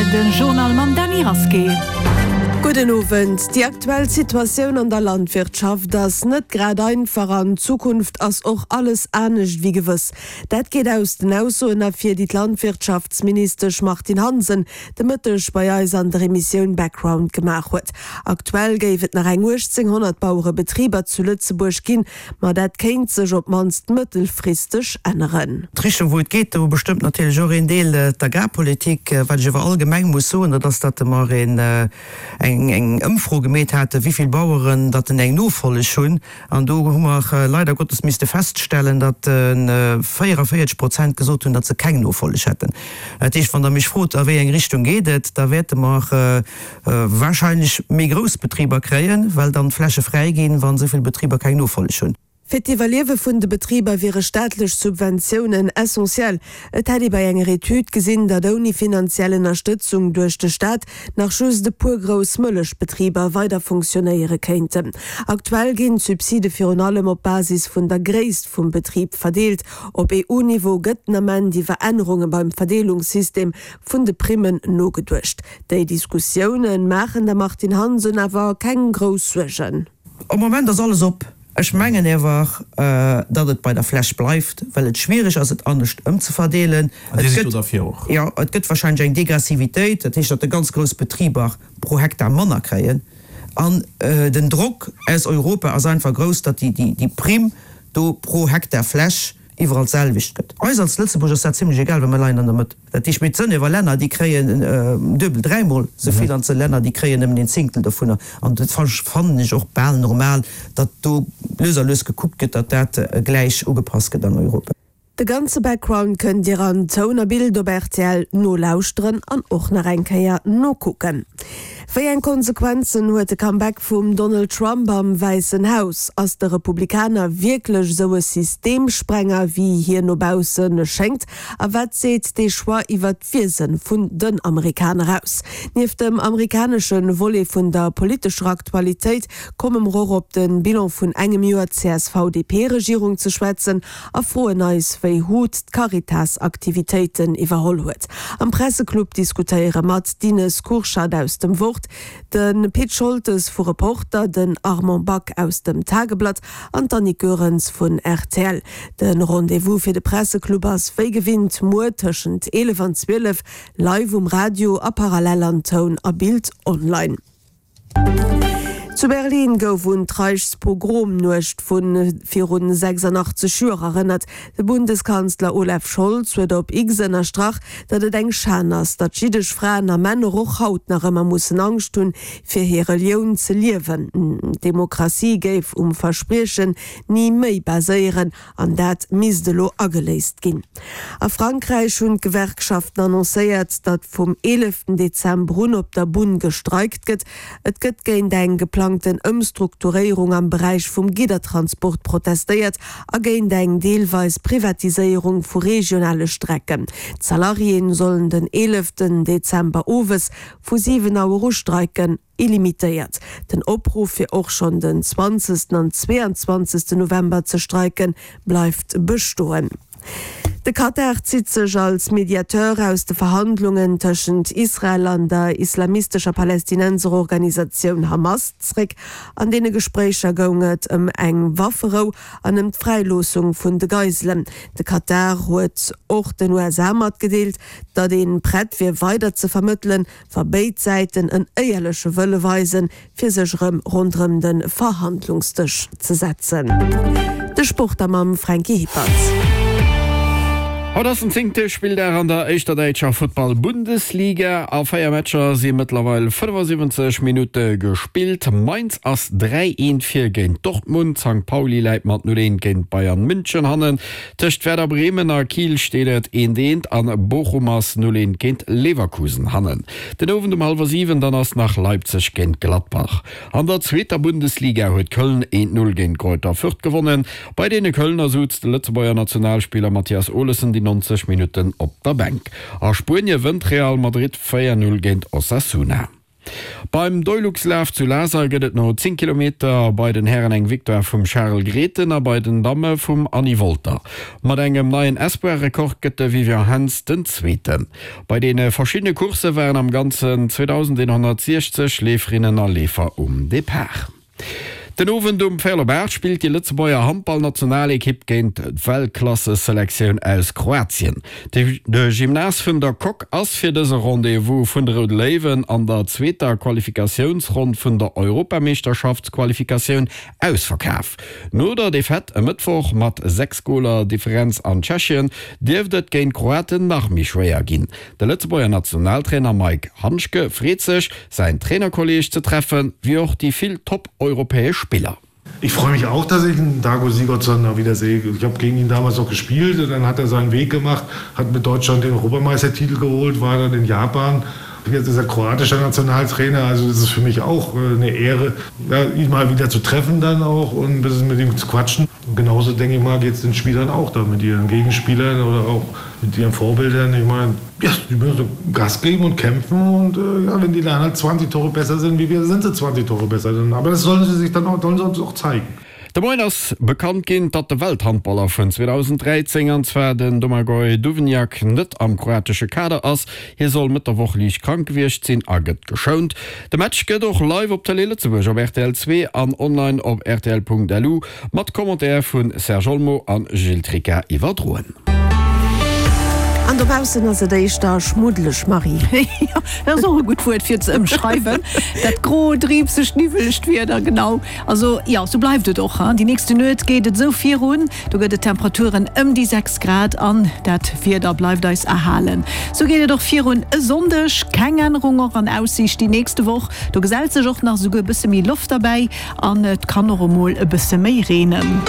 rtl den Journal mam Dany Rasqué. Gudden Owend. Déi aktuell Situatioun an der Landwirtschaft ass net grad einfach an d'Zukunft ass och alles anescht wéi gewëss. Dat geet aus den Aussoen ervir, déi d'Landwirtschaftsministesch Martine Hansen de Mëtteg bei eis an der Emissioun Background gemaach huet. Aktuell géif et nach eng 1.800 Bauerebetriber zu Lëtzebuerg ginn, Ma dat kéint sech op d'mannst mëttelfristeg änneren. D'Richtung wou et geet, do bestëmmt natierlech och een Deel d'Agrarpolitik. Wat ech awer allgemeng muss soen, dat ass, datt mer een eng eng Ëmfro gemeet haten, wéi vill Baueren datt en eng Nofolleg hunn. An do hu mer leider Gottes misste feststellen, datt 44 Prozent gesot hunn, datt se keng Nofolleg hätten. Dat heescht, wann Der mech frot, a wéi eng Richtung geet et, da wäerte mer Wahrscheinlech méi grouss Betriber kréien, well dann d'Fläche fräi ginn, wann esou vill Betriber keng Nofolleg hunn. Fir d'Iwwerliewe vun de Betriber wiere staatlech Subventiounen essentiell. Et hätt ee bei enger Etüd gesinn, datt ouni finanziell Ënnerstëtzung duerch de Staat nach just e puer grouss Mëllechbetriber weider funktionéiere kéinten. Aktuell ginn d'Subside virun allem op Basis vun der Gréisst vum Betrib verdeelt. Op EU-Niveau gëtt den Ament iwwer Ännerunge beim Verdeelungssystem vun de Primmen nogeduecht. Déi Diskussioune maachen der Martine Hansen awer keng grouss Suergen. Am Moment ass alles op. Ech mengen ewer, datt et bei der Fläch bleift, well et schwiereg ass, et anescht ëmzeverdeelen. An Dir sidd do derfir och? Jo, et gëtt wahrscheinlech eng Degressivitéit, dat heescht, datt de ganz grouss Betriber pro Hektar manner kréien. An den Drock aus Europa ass einfach grouss, datt déi Primm do pro Hektar Fläch iwwerall d'selwecht gëtt. Eis als Lëtzebuerg ass dat zimlech egal, well mir leien an der Mëtt. Dat heescht, mee et sënn ewer Länner, déi kréien duebel, dräimol esou vill an et sënn Länner, déi kréien nëmmen een Zéngtel dovunner. An dat fannen ech och bal normal, datt do lues a lues gekuckt gëtt, datt dat gläich ugepasst gëtt an Europa. De ganze Background kënnt Dir an Toun a Bild op rtl nolauschteren an och nach eng Kéier nokucken. Wéi eng Konsequenzen huet de Comeback vum Donald Trump am Wäissen Haus? Ass de Republikaner wierklech esou e Systemsprenger, wéi hien no bausse schéngt? A wat seet dee Choix iwwer d'Wiese vun den Amerikaner aus? Nieft dem amerikanesche Volet vun der politescher Aktualitéit komme mer och op de Bilan vun engem Joer CSV-DP-Regierung ze schwätzen a froen eis, wéi Hut d'Caritas-Aktivitéiten iwwerholl huet. Am Presseclub diskutéiere mat d'Ines Kurschat aus dem Wort, de Pit Scholtes vu Reporter, den Armand Back aus dem Tageblatt an d'Annick Goerens vun rtl. De Rendez-vous fir de Presseclub ass wéi gewinnt muer tëschent 11 an 12 live um Radio a parallel an Toun a Bild online. Zu Berlin gouf un d'Reichspogromnuecht vu viru 86 Joer erënnert. De Bundeskanzler Olaf Scholz huet op X ënnerstrach, datt et eng Schan ass, datt jiddesch Fraen a Männer och haut nach ëmmer mussen Angscht hunn, fir hir Relioun ze liewen. D'Demokratie géif um Verspriechen ni méi baséieren an dat misst elo ageléist ginn. A Frankräich hunn d'Gewerkschaften annoncéiert, datt vum 11 Dezember un op der Bunn gestreikt gëtt. Et gëtt géint eng geplangten Ëmstrukturéierung am Beräich vum Giddertransport protestéiert a géint eng deelweis Privatiséierung vu regionale Strecken. D'Salariéen sollen den 11 Dezember owes Vu 7 Auer u streiken illimitéiert. Den Opruff fir och schonn den 20 an 22 November ze streiken, bleift bestoen. De Katar zitt sech als Mediateur aus de Verhandlungen tëschent Israel an der islamistescher Palästinenserorganisatioun Hamas zréck. An deene Gespréicher goung et ëm eng Wafferou an ëm d'Fräiloossung vun de Geiselen. De Katar huet och den USA matgedeelt, Datt ee prett wier weider ze vermëttelen, wa béid Säiten en éierleche Wëlle weisen, fir sech erëm ronderëm de Verhandlungsdësch ze setzen. De Sport da mam Franky Hippert. Haut ass den zéngte Spilldag an der éischter däitscher Futtball-Bundesliga. A 4 Matcher si mëttlerweil 75 Minutte gespillt. Mainz ass 3, 1 vir géint Dortmund, Sankt Pauli läit mat 0, 1 géint Bayern München hannen. Tëscht Werder Bremen a Kiel steet et eent eent an Bochum ass 0 eent géint Leverkusen hannen. Den Owend um hallwer 7 dann ass nach Leipzig géint Gladbach. An der zweeter Bundesliga huet Köln eent 0 géint Greuther Fürth gewonnen. Bei deene Kölner souz de Lëtzebuerger Nationalspiller Mathias Olesen déi 90 Minutten op der Bänk. A Spuenie wënnt Real Madrid 4 0 géint Osasuna. Beim Deuluxlaf zu Laser gëtt et no 10 Kilometer bei den Hären eng Victoire vum Charel Grethen a bei den Damme vum Anny Wolter. Mat engem neien Espoir-Rekord gëtt de Vivien Henz den Zweeten. Bei deene verschiddene Coursse waren am Ganzen 2.160 Leeferinnen a Leefer um Depart. Den Owend um véierel op 8 spillt déi Lëtzebuerger Handballnationalekipp géint d'Weltklasse-Selektioun aus Kroatien. De Gymnase vun der Coque ass fir dëse Rendez-vous vun de Roude Léiwen an der zweeter Qualifikatiounsronn vun der Europameeschterschaftsqualifikatioun ausverkaf. No der Defaite e Mëttwoch mat 6 Goler Differenz an Tschechien dierft et géint d'Kroaten nach méi schwéier ginn. De Lëtzebuerger Nationaltrainer Maik Handschke freet sech, säin Trainerkolleeg ze treffen, wéi och déi vill top-europäesch Spiller. Ich freue mich auch, dass ich den Dago Sigurdsson da wieder sehe. Ich habe gegen ihn damals noch gespielt und dann hat er seinen Weg gemacht, hat mit Deutschland den Europameistertitel geholt, war dann in Japan. Jetzt ist er kroatischer Nationaltrainer, also das ist für mich auch äh, eine Ehre, ja, ihn mal wieder zu treffen dann auch und ein bisschen mit ihm zu quatschen. Und genauso denke ich mal, geht es den Spielern auch da mit ihren Gegenspielern oder auch mit ihren Vorbildern. Ich meine, ja, die müssen Gas geben und kämpfen und äh, ja, wenn die dann halt 20 Tore besser sind wie wir, sind sie 20 Tore besser. Aber das sollen sie sich dann auch, sollen sie uns auch zeigen. De Moien ass bekannt ginn, datt de Welthandballer vun 2013, an zwar den Domagoj Duvnjak, net am kroatesche Kader ass. Hie soll Mëtt der Woch liicht krank gewiescht sinn a gëtt geschount. De Match gëtt och live op Tëlee Lëtzebuerg op rtl 2 an online op rtl.lu mat Commentaire vu Serge Olmo a Gilles Tricca iwwerdroen. An dobaussen ass et éischter schmuddeleg, Marie. Jo, dat ass och e gutt Wuert fir et ze ëmschreiwen, dat gro, driibsegt, niwwelegt Wieder, genau. Also jo, sou bleift et och. Déi nächste Nuet geet et esou virun, do gëtt et Temperaturen ëm déi 6 Grad an dat Wieder bleift eis erhalen. Sou geet et och virun e Sonndeg, keng Ännerung och an Aussiicht déi nächste Woch. Do gesellt sech och nach esouguer e bësse méi Loft derbäi an et kann och emol e bësse méi reenen.